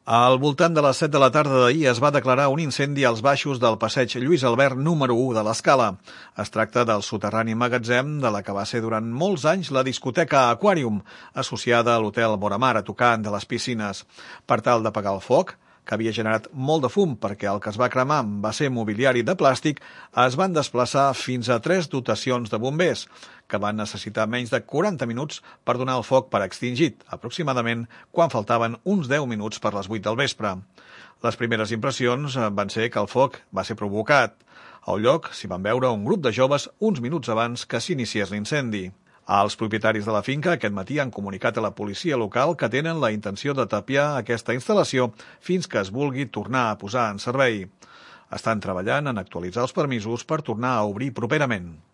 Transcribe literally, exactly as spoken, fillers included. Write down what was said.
Al voltant de les set de la tarda d'ahir es va declarar un incendi als baixos del passeig Lluís Albert número u de l'Escala. Es tracta del soterrani magatzem de la que va ser durant molts anys la discoteca Aquarium, associada a l'hotel Boramar a tocar de les piscines. Per tal d'apagar el foc, que havia generat molt de fum perquè el que es va cremar va ser mobiliari de plàstic, es van desplaçar fins a tres dotacions de bombers, que van necessitar menys de quaranta minuts per donar el foc per extingit, aproximadament quan faltaven uns deu minuts per les vuit del vespre. Les primeres impressions van ser que el foc va ser provocat. Al lloc s'hi van veure un grup de joves uns minuts abans que s'iniciés l'incendi. Els propietaris de la finca aquest matí han comunicat a la policia local que tenen la intenció de tapiar aquesta instal·lació fins que es vulgui tornar a posar en servei. Estan treballant en actualitzar els permisos per tornar a obrir properament.